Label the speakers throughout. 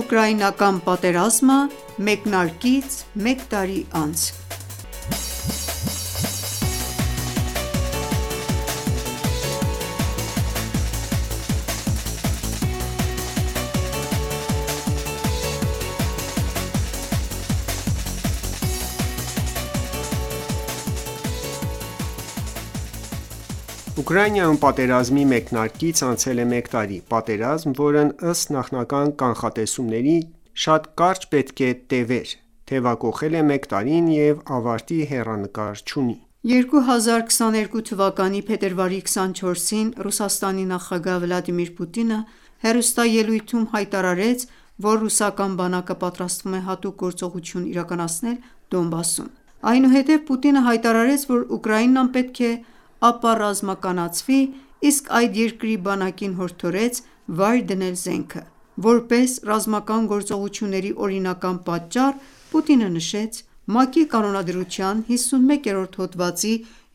Speaker 1: Ուկրաինական պատերազմը մեկնարկից մեկ տարի անց
Speaker 2: Ուկրաինայում պատերազմի մեկնարկից անցել է մեկ տարի: Պատերազմ, որն ըստ նախնական կանխատեսումների շատ կարճ պետք է տևեր, թևակոխել է մեկ տարին և ավարտի հեռանկար չունի:
Speaker 1: 2022 թվականի փետրվարի 24-ին Ռուսաստանի նախագահ Վլադիմիր Պուտինը հեռուստաելույթում հայտարարեց, որ ռուսական բանակը պատրաստվում է հատուկ գործողություն իրականացնել Դոնբասում: Այնուհետև Պուտինը հայտարարեց, որ Ուկրաինան պետք է ապառազմականացվի, իսկ այդ երկրի բանակին հորդորեց վայր դնել զենքը: Որպես ռազմական գործողությունների օրինական պատճառ, Պուտինը նշեց. «ՄԱԿ-ի կանոնադրության 51-րդ հոդվածի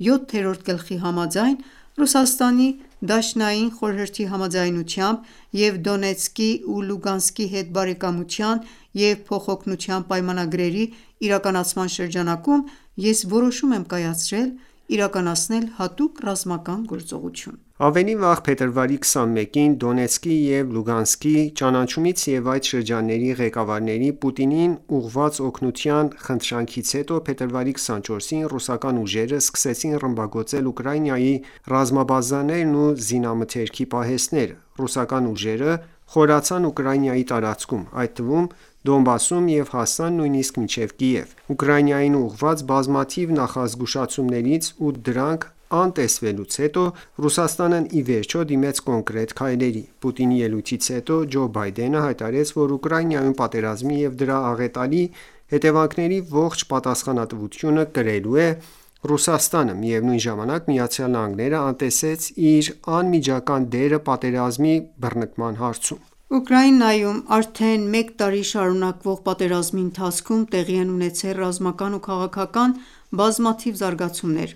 Speaker 1: 7-րդ գլխի համաձայն, Ռուսաստանի Դաշնային խորհրդի համաձայնությամբ և Դոնեցկի ու Լուգանսկի հետ բարեկամության և փոխօգնության պայմանագրերի իրականացման շրջանակում ես որոշում եմ կայացրել իրականացնել հատուկ ռազմական գործողություն»:
Speaker 2: Ավելի վաղ փետրվարի 21-ին Դոնեցկի և Լուգանսկի ճանաչումից և այդ շրջանների ղեկավարների Պուտինին ուղղված օգնության խնդրանքից հետո փետրվարի 24-ին ռուսական ուժերը սկսեցին ռմբակոծել Ուկրաինայի ռազմաբազաներն ու զինամթերքի պահեստները: Ռուսական ուժերը խորացան Ուկրաինայի տարածքում, այդ թվում Դոնբասում և հասան նույնիսկ մինչև Կիև: Ուկրաինային ուղղված բազմաթիվ նախազգուշացումներից ու դրանք անտեսվելուց հետո Ռուսաստանն ի վերջո դիմեց կոնկրետ քայլերի: Պուտինի ելույթից հետո Ջո Բայդենը հայտարարեց, որ Ուկրաինայում պատերազմի և դրա աղետալի հետևանքների ողջ պատասխանատվությունը կրելու է Ռուսաստանը: Միևնույն ժամանակ ԱՄՆ-ն անտեսեց իր անմիջական դերը պատերազմի բռնկման հարցում:
Speaker 1: Ուկրաինայում արդեն մեկ տարի շարունակվող պատերազմի ընթացքում տեղի են ունեցել ռազմական ու քաղաքական բազմաթիվ զարգացումներ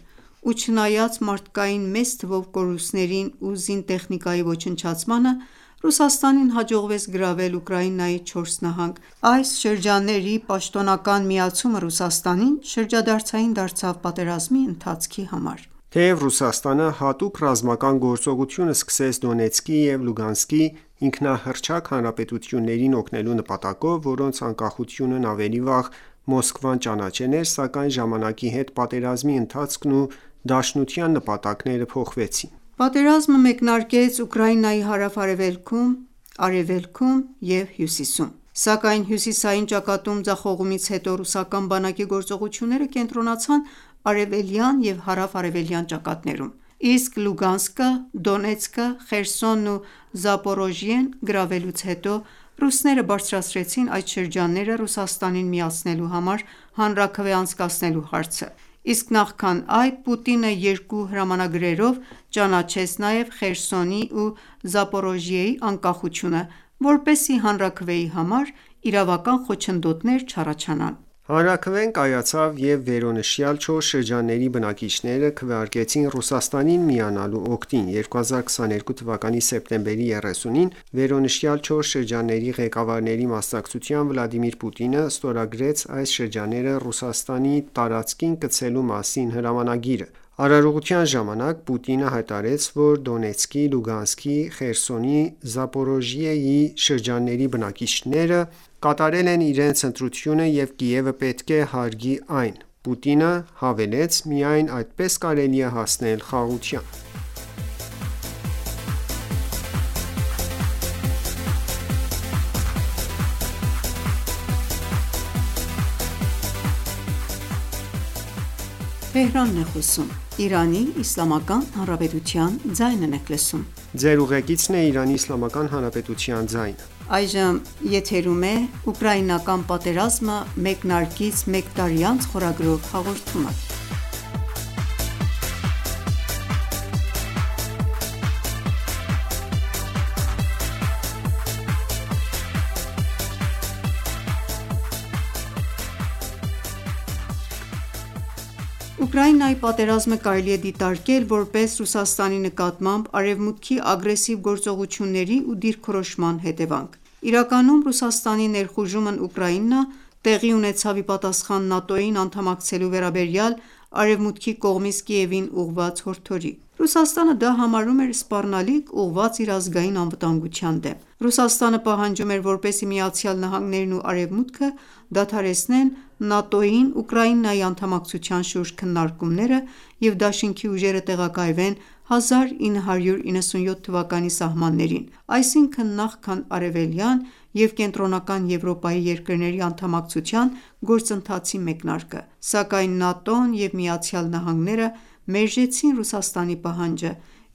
Speaker 1: ու չնայած մարդկային մեծ թվով կորուստներին ու զինտեխնիկայի ոչնչացմանը, Ռուսաստանին հաջողվեց գրավել Ուկրաինայի 4 նահանգ: Այս շրջանների պաշտոնական միացումը Ռուսաստանին շրջադարձային դարձավ պատերազմի ընթացքի համար:
Speaker 2: Թեև Ռուսաստանը հատուկ ռազմական գործողություն սկսեց Դոնեցկի և Լուգանսկի ինքնահռչակ հանրապետություններին օգնելու նպատակով, որոնց անկախությունն ավելի վաղ Մոսկվան ճանաչել էր, սակայն ժամանակի հետ պատերազմի ընթացքն ու դաշնության նպատակները փոխվեցին:
Speaker 1: Պատերազմը մեկնարկեց Ուկրաինայի հարավ-արևելքում, արևելքում և հյուսիսում: Սակայն հյուսիսային ճակատում ձախողումից հետո ռուսական բանակի գործողությունները կենտրոնացան արևելյան և հարավ-արևելյան ճակատներում: Իսկ Լուգանսկը, Դոնեցկը, Խերսոնն ու Զապորոժիեն գրավելուց հետո ռուսները բարձրացրեցին այդ շրջանները Ռուսաստանին միացնելու համար հանրաքվե անցկացնելու հարցը: Իսկ նախքան այդ Պուտինը երկու հրամանագրերով ճանաչեց նաև Խերսոնի ու Զապորոժիեի անկախությունը, որպեսզի հանրաքվեի համար իրավական խոչընդոտներ չառաջանան:
Speaker 2: Հանրաքվեն կայացավ և վերոնշյալ 4 շրջանների բնակիչները քվեարկեցին Ռուսաստանին միանալու օգտին: 2022 թվականի սեպտեմբերի 30-ին վերոնշյալ 4 շրջանների ղեկավարների մասնակցությամբ Վլադիմիր Պուտինը ստորագրեց այս շրջանները Ռուսաստանի տարածքին կցելու մասին հրամանագիրը: Արարողության ժամանակ Պուտինը հայտարարեց, որ Դոնեցկի, Լուգանսկի, Խերսոնի, Զապորոժիեի շրջանների բնակիչները կատարել են իրենց ընտրությունը և Կիևը պետք է հարգի այն: Պուտինը հավելեց. «Միայն այդպես կարելի է հասնել խաղաղության»:
Speaker 1: Ուկրաինայի պատերազմը կարելի է դիտարկել որպես Ռուսաստանի նկատմամբ Արևմուտքի ագրեսիվ գործողությունների ու դիրքորոշման հետևանք: Իրականում Ռուսաստանի ներխուժումն Ուկրաինա տեղի ունեցավ ի պատասխան ՆԱՏՕ-ին անդամակցելու վերաբերյալ Արևմուտքի կողմից Կիևին ուղղված հորդորի։ Ռուսաստանը դա համարում էր սպառնալիք՝ ուղղված իր ազգային անվտանգության դեմ։ Ռուսաստանը պահանջում էր, որպեսզի ԱՄՆ-ն ու Արևմուտքը դադարեցնեն ՆԱՏՕ-ին Ուկրաինայի անդամակցության շուրջ քննարկումները և դաշինքի ուժերը տեղակայվեն 1997 թվականի սահմաններին, այսինքն նախքան Արևելյան և Կենտրոնական Եվրոպայի երկրների անդամակցության գործընթացի մեկնարկը, սակայն ՆԱՏՕ-ն և ԱՄՆ-ը մերժեցին Ռուսաստանի պահանջը,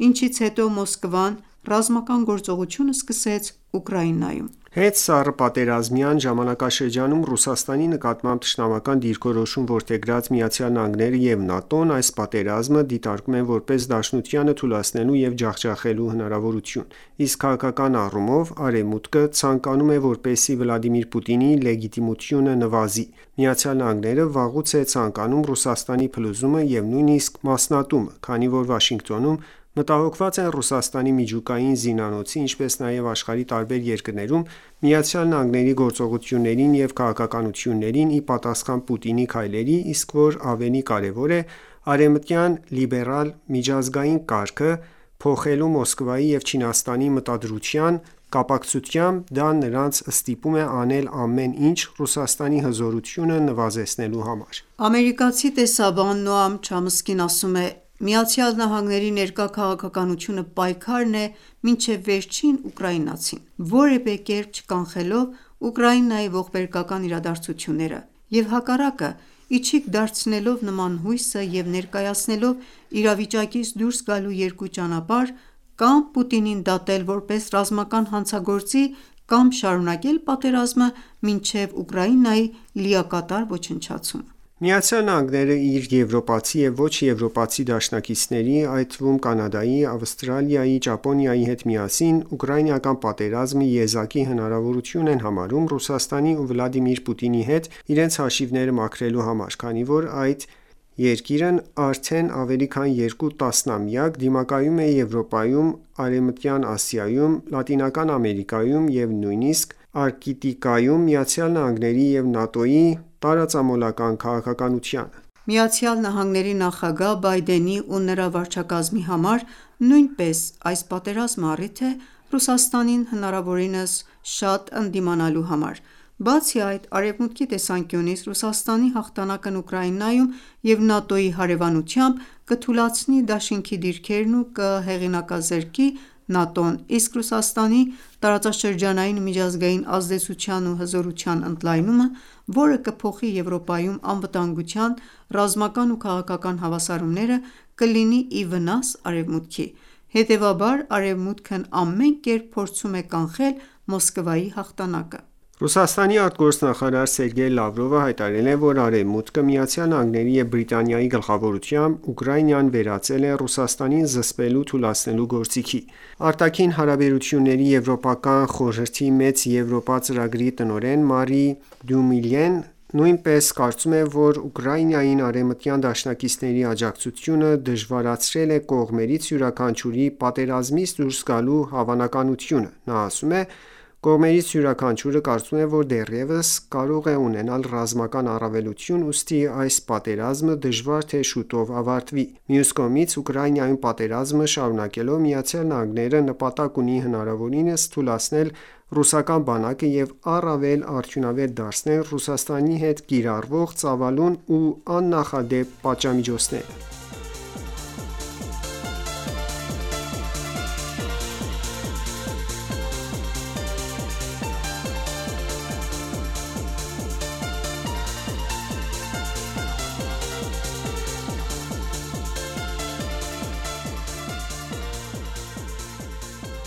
Speaker 1: ինչից հետո Մոսկվան ռազմական գործողություն սկսեց Ուկրաինայում։
Speaker 2: Հետսառըպատերազմյան ժամանակաշրջանում Ռուսաստանի նկատմամբ թշնամական դիրքորոշում որդեգրած ԱՄՆ-ն և ՆԱՏՕ-ն այս պատերազմը դիտարկում են որպես Դաշնությանը թուլացնելու և ջախջախելու հնարավորություն, իսկ քաղաքական առումով Արևմուտքը ցանկանում է, որպեսզի Վլադիմիր Պուտինի լեգիտիմությունը նվազի։ ԱՄՆ-ն վաղուց է ցանկանում Ռուսաստանի փլուզումը և նույնիսկ մասնատումը, քանի որ Վաշինգտոնում մտահոգված են Ռուսաստանի միջուկային զինանոցի, ինչպես նաև աշխարհի տարբեր երկրներում ԱՄՆ-ի գործողություններին և քաղաքականություններին ի պատասխան Պուտինի քայլերի, իսկ որ ավելի կարևոր է, արևմտյան լիբերալ միջազգային կարգը փոխելու Մոսկվայի և Չինաստանի մտադրության կապակցությամբ դա նրանց ստիպում է անել ամեն ինչ Ռուսաստանի հզորությունը նվազեցնելու համար։
Speaker 1: Ամերիկացի տեսաբան Նոամ Չամսկին ասում է. «ԱՄՆ-ի ներկա քաղաքականությունը պայքարն է մինչև վերջին ուկրաինացին, որևէ կերպ չկանխելով Ուկրաինայի ողբերգական իրադարձությունները, և հակառակը, ի չիք դարձնելով նման հույսը և ներկայացնելով իրավիճակից դուրս գալու երկու ճանապարհ՝ կամ Պուտինին դատել որպես ռազմական հանցագործի, կամ շարունակել պատերազմը մինչև Ուկրաինայի լիակատար ոչնչացումը»։
Speaker 2: ԱՄՆ-ն իր եվրոպացի և ոչ եվրոպացի դաշնակիցների, այդ թվում Կանադայի, Ավստրալիայի, Ճապոնիայի հետ միասին ուկրաինական պատերազմի եզակի հնարավորություն են համարում Ռուսաստանի ու Վլադիմիր Պուտինի հետ իրենց հաշիվները մաքրելու համար, քանի որ այդ երկիրն արդեն ավելի քան երկու տասնամյակ դիմակայում է Եվրոպայում, Արևմտյան Ասիայում, Լատինական Ամերիկայում և նույնիսկ Արկտիկայում ԱՄՆ-ի և ՆԱՏՕ-ի տարածամոլական քաղաքականությանը։
Speaker 1: ԱՄՆ նախագահ Բայդենի ու նրա վարչակազմի համար նույնպես այս պատերազմը առիթ է Ռուսաստանին հնարավորինս շատ ընդդիմանալու համար։ Բացի այդ, Արևմուտքի տեսանկյունից Ռուսաստանի հաղթանակն Ուկրաինայում և ՆԱՏՕ-ի հարևանությամբ կթուլացնի դաշինքի դիրքերն ու կհեղինակազրկի ՆԱՏՕ-ն, իսկ Ռուսաստանի տարածաշրջանային ու միջազգային ազդեցության ու հզորության ընդլայնումը, որը կփոխի Եվրոպայում անվտանգության, ռազմական ու քաղաքական հավասարումները, կլինի ի վնաս Արևմուտքի։ Հետևաբար, Արևմուտքն ամեն կերպ փորձում է կանխել Մոսկվայի հաղթանակը։
Speaker 2: Ռուսաստանի արտգործնախարար Սերգեյ Լավրովը հայտարարել է, որ Արևմուտքը ԱՄՆ-ի և Բրիտանիայի գլխավորությամբ Ուկրաինան վերածել է Ռուսաստանին զսպելու թուլացնելու գործիքի։ Արտաքին հարաբերությունների եվրոպական խորհրդի Մեծ Եվրոպա ծրագրի տնօրեն Մարի Դյումիլյեն նույնպես կարծում է, որ Ուկրաինային արևմտյան դաշնակիցների աջակցությունը դժվարացրել է կողմերից յուրաքանչյուրի պատերազմից դուրս գալու հավանականությունը։ Նա ասում է. «Կողմերից յուրաքանչյուրը կարծում է, որ դեռևս կարող է ունենալ ռազմական առավելություն, ուստի այս պատերազմը դժվար թե շուտով ավարտվի»։ Մյուս կողմից, Ուկրաինայում պատերազմը շարունակելով ԱՄՆ-ն նպատակ ունի հնարավորինս թուլացնել ռուսական բանակը և առավել արդյունավետ դարձնել Ռուսաստանի հետ կիրառվող ծավալուն ու աննախադեպ պատժամիջոցները։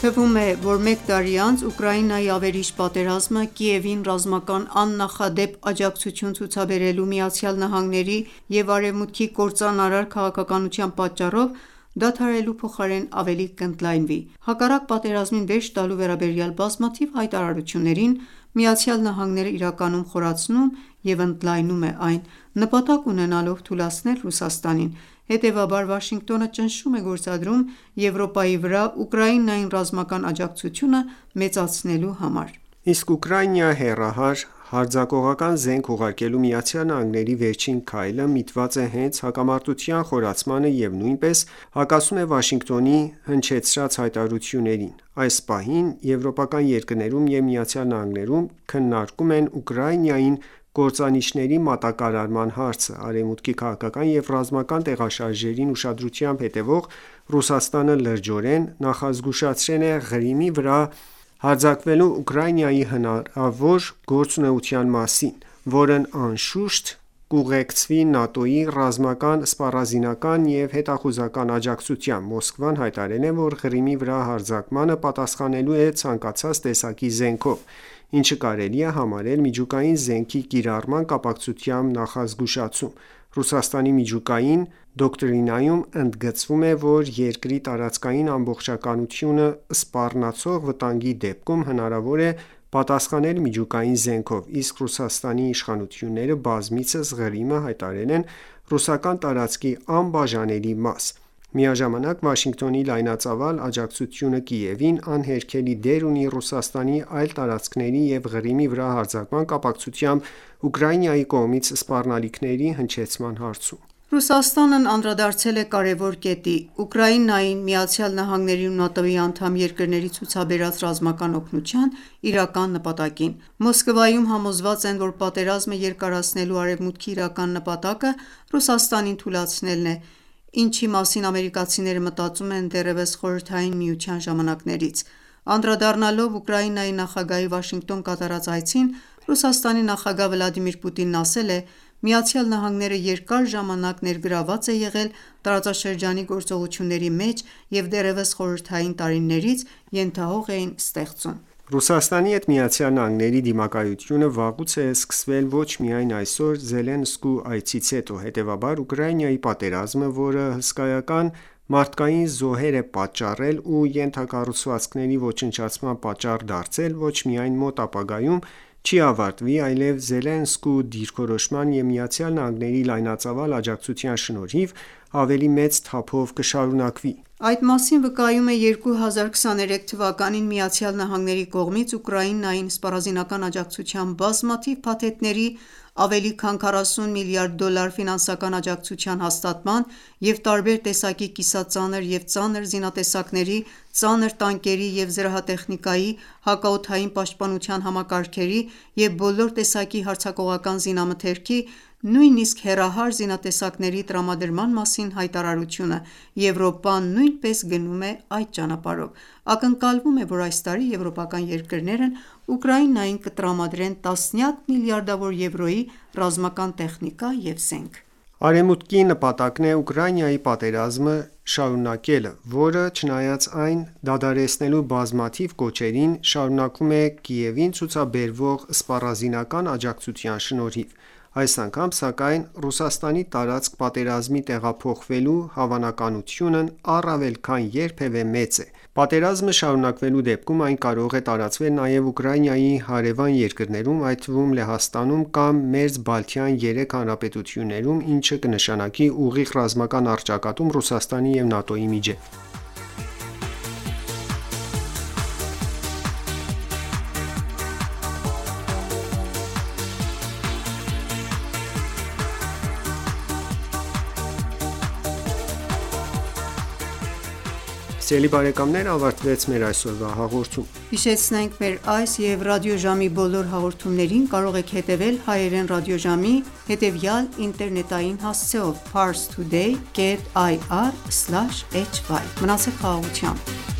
Speaker 1: Թվում է, որ մեկ տարի անց Ուկրաինայի ավերիչ պատերազմը Կիևին ռազմական աննախադեպ աջակցություն ցուցաբերելու ԱՄՆ-ի և Արևմուտքի կործանարար քաղաքականության պատճառով դադարելու փոխարեն ավելի կընդլայնվի։ Հակառակ պատերազմին վերջ տալու վերաբերյալ բազմաթիվ հայտարարություններին, ԱՄՆ-ն իրականում խորացնում և ընդլայնում է այն՝ նպատակ ունենալով թուլացնել Ռուսաստանին։ Հետևաբար, Վաշինգտոնը ճնշում է գործադրում Եվրոպայի վրա Ուկրաինային ռազմական աջակցությունը մեծացնելու համար։
Speaker 2: Իսկ Ուկրաինա հեռահար հարձակողական զենք ուղարկելու ԱՄՆ-ի վերջին քայլը միտված է հենց հակամարտության խորացմանը և նույնպես հակասում է Վաշինգտոնի հնչեցրած հայտարարություններին: Այս պահին եվրոպական երկրներում և ԱՄՆ-ում քննարկում են Ուկրաինային կործանիչների մատակարարման հարցը: Արևմուտքի քաղաքական և ռազմական տեղաշարժերին ուշադրությամբ հետևող Ռուսաստանը լրջորեն նախազգուշացրել է Ղրիմի վրա հարձակվելու Ուկրաինայի հնարավոր գործունեության մասին, որն անշուշտ կուղեկցվի ՆԱՏՕ-ի ռազմական, սպառազինական և հետախուզական աջակցությամբ: Մոսկվան հայտարարել է, որ Ղրիմի վրա հարձակմանը պատասխանելու է ցանկացած տեսակի զենքով, ինչը կարելի է համարել միջուկային զենքի կիրառման կապակցությամբ նախազգուշացում: Ռուսաստանի միջուկային դոկտրինայում ընդգծվում է, որ երկրի տարածքային ամբողջականությունը սպառնացող վտանգի դեպքում հնարավոր է պատասխանել միջուկային զենքով, իսկ Ռուսաստանի իշխանությունները բազմիցս Ղրիմը հայտարարել են ռուսական տարածքի անբաժանելի մաս: Միաժամանակ Վաշինգտոնի լայնածավալ աջակցությունը Կիևին անհերքելի դեր ունի Ռուսաստանի այլ տարածքների և Ղրիմի վրա հարձակման կապակցությամբ Ուկրաինայի կողմից սպառնալիքների հնչեցման հարցում:
Speaker 1: Ռուսաստանն անդրադարձել է կարևոր կետի՝ Ուկրաինային ԱՄՆ-ի ու ՆԱՏՕ-ի անդամ երկրների ցուցաբերած ռազմական օգնության իրական նպատակին: Մոսկվայում համոզված են, որ պատերազմը երկարացնելու Արևմուտքի իրական նպատակը Ռուսաստանին թուլացնելն է, ինչի մասին ամերիկացիները մտածում են դեռևս Խորհրդային Միության ժամանակներից: Անդրադառնալով Ուկրաինայի նախագահի Վաշինգտոն կատարած այցին, Ռուսաստանի նախագահ Վլադիմիր Պուտինն ասել է. «ԱՄՆ-ն երկար ժամանակ ներգրավված է եղել տարածաշրջանի գործողությունների մեջ և դեռևս խորհրդային տարիներից ենթահող էին ստեղծում»:
Speaker 2: Ռուսաստանի հետ ԱՄՆ-ի դիմակայությունը վաղուց է սկսվել ոչ միայն այսօր Զելենսկու այցից հետո: Հետևաբար Ուկրաինայի պատերազմը, որը հսկայական մարդկային զոհեր է պատճառել ու ենթակառուցվածքների ոչնչացման պատճառ դարձել, ոչ միայն մոտ ապագայում չի ավարտվի, այլև Զելենսկու դիրքորոշման և ԱՄՆ-ի լայնածավալ աջակցության շնորհիվ ավելի մեծ թափով կշարունակվի:
Speaker 1: Այդ մասին վկայում է 2023 թվականին ԱՄՆ-ի կողմից Ուկրաինային սպառազինական աջակցության բազմաթիվ փաթեթների, ավելի քան $40 միլիարդ ֆինանսական աջակցության հաստատման և տարբեր տեսակի կիսածանր և ծանր զինատեսակների, ծանր տանկերի և զրահատեխնիկայի, հակաօդային պաշտպանության համակարգերի և բոլոր տեսակի հարձակողական զինամթերքի, նույնիսկ հեռահար զինատեսակների տրամադրման մասին հայտարարությունը: Եվրոպան նույնպես գնում է այդ ճանապարհով: Ակնկալվում է, որ այս տարի եվրոպական երկրներն Ուկրաինային կտրամադրեն տասնյակ միլիարդավոր եվրոյի ռազմական տեխնիկա և զենք:
Speaker 2: Արևմուտքի նպատակն է Ուկրաինայի պատերազմը շարունակելը, որը չնայած այն դադարեցնելու բազմաթիվ կոչերին, շարունակվում է Կիևին ցուցաբերվող սպառազինական աջակցության շնորհիվ: Այս անգամ սակայն Ռուսաստանի տարածք պատերազմի տեղափոխվելու հավանականությունն առավել քան երբևէ մեծ է: Պատերազմը շարունակվելու դեպքում այն կարող է տարածվել նաև Ուկրաինայի հարևան երկրներում, այդ թվում Լեհաստանում կամ Մերձբալթյան երեք հանրապետություններում, ինչը կնշանակի ուղիղ ռազմական առճակատում Ռուսաստանի և ՆԱՏՕ-ի միջև: Ավարտվեց մեր այսօրվա հաղորդումը:
Speaker 1: Հիշեցնենք մեր այս և ռադիոժամի բոլոր հաղորդումներին կարող եք հետևել հայերեն ռադիոժամի հետևյալ ինտերնետային հասցեով՝ parstoday.ir/hy: Մնացեք խաղաղությամբ: